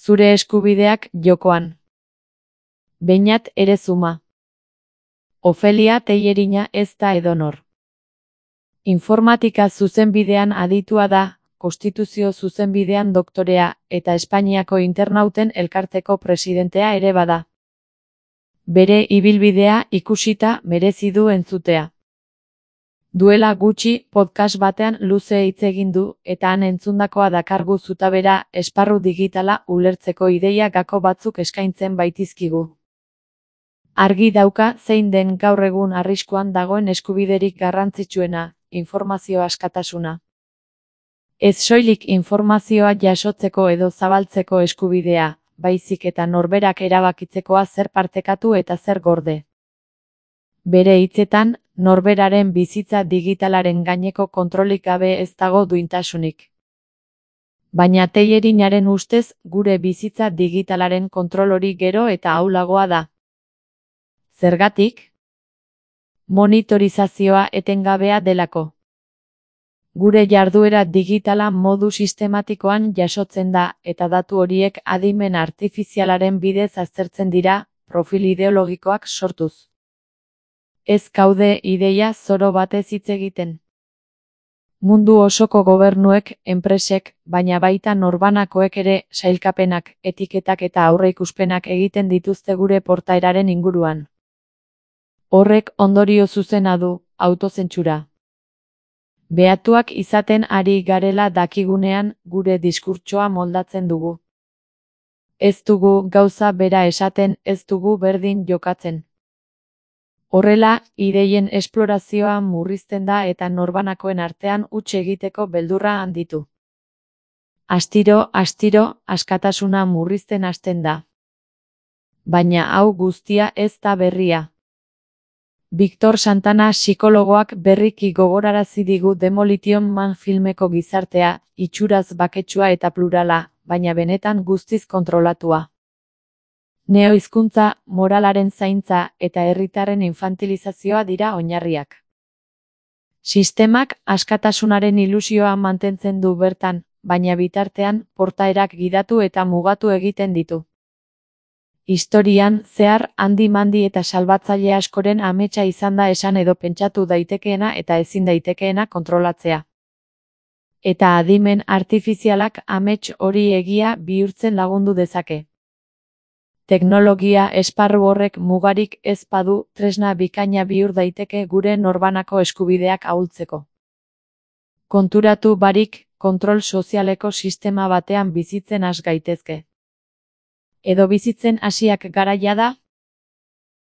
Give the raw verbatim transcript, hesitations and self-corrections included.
Zure eskubideak jokoan. Beñat Erezuma. Ofelia Tellerina ez da edonor. Informatika zuzenbidean aditua da, konstituzio zuzenbidean doktorea, eta Espainiako Internauten Elkarteko presidentea ere bada. Bere ibilbidea ikusita merezi du entzutea. Duela gutxi podcast batean luze hitz egin du, eta han entzundakoa dakargu zutabera esparru digitala ulertzeko ideia gako batzuk eskaintzen baitizkigu. Argi dauka zein den gaur egun arriskuan dagoen eskubiderik garrantzitsuena, informazio askatasuna. Ez soilik informazioa jasotzeko edo zabaltzeko eskubidea, baizik eta norberak erabakitzekoa zer partekatu eta zer gorde. Bere hitzetan, norberaren bizitza digitalaren gaineko kontrolik gabe ez dago duintasunik. Baina Tellerinaren ustez, gure bizitza digitalaren kontrol hori gero eta ahulagoa da. Zergatik? Monitorizazioa etengabea delako. Gure jarduera digitala modu sistematikoan jasotzen da, eta datu horiek adimen artifizialaren bidez aztertzen dira, profil ideologikoak sortuz. Ez gaude ideia zoro batez hitz egiten. Mundu osoko gobernuek, enpresek, baina baita norbanakoek ere, sailkapenak, etiketak eta aurreikuspenak egiten dituzte gure portaeraren inguruan. Horrek ondorio zuzena du, autozentsura. Behatuak izaten ari garela dakigunean, gure diskurtsoa moldatzen dugu. Ez dugu gauza bera esaten, ez dugu berdin jokatzen. Horrela, ideien esplorazioa murrizten da eta norbanakoen artean huts egiteko beldurra handitu. Astiro, astiro, askatasuna murrizten hasten da. Baina hau guztia ez da berria. Victor Santana psikologoak berriki gogorarazi digu Demolition Man filmeko gizartea, itxuraz baketsua eta plurala, baina benetan guztiz kontrolatua. Neohizkuntza, moralaren zaintza eta herritarren infantilizazioa dira oinarriak. Sistemak askatasunaren ilusioa mantentzen du bertan, baina bitartean portaerak gidatu eta mugatu egiten ditu. Historian, zehar, handi-mandi eta salbatzaile askoren ametsa izan da esan edo pentsatu daitekeena eta ezin daitekeena kontrolatzea. Eta adimen artifizialak amets hori egia bihurtzen lagundu dezake. Teknologia esparru horrek mugarik ez badu, tresna bikaina bihur daiteke gure norbanako eskubideak ahultzeko. Konturatu barik, kontrol sozialeko sistema batean bizitzen has gaitezke. Edo bizitzen hasiak garaia da,